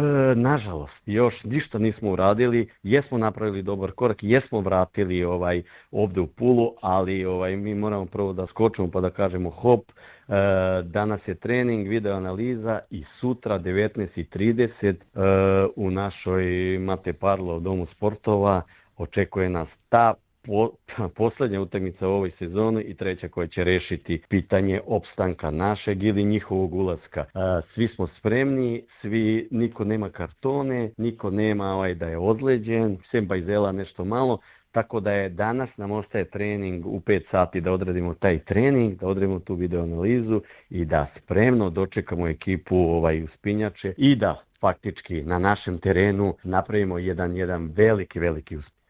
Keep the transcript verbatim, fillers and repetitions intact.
E, nažalost, još ništa nismo uradili, jesmo napravili dobar korak, jesmo vratili ovaj ovde u Pulu, ali ovaj mi moramo prvo da skočimo pa da kažemo hop, e, danas je trening, video analiza i sutra devetnaest i trideset e, u našoj Mate Parlo u Domu sportova očekuje nas ta po, poslednja utakmica u ovoj sezoni i treća koja će rešiti pitanje opstanka našeg ili njihovog ulaska. Svi smo spremni, svi, niko nema kartone, niko nema ovaj da je ozleđen, sem Bajzela nešto malo, tako da je danas nam ostaje trening u pet sati da odradimo taj trening, da odradimo tu video analizu i da spremno dočekamo ekipu ovaj uspinjače i da faktički na našem terenu napravimo jedan, jedan veliki, veliki uspjeh.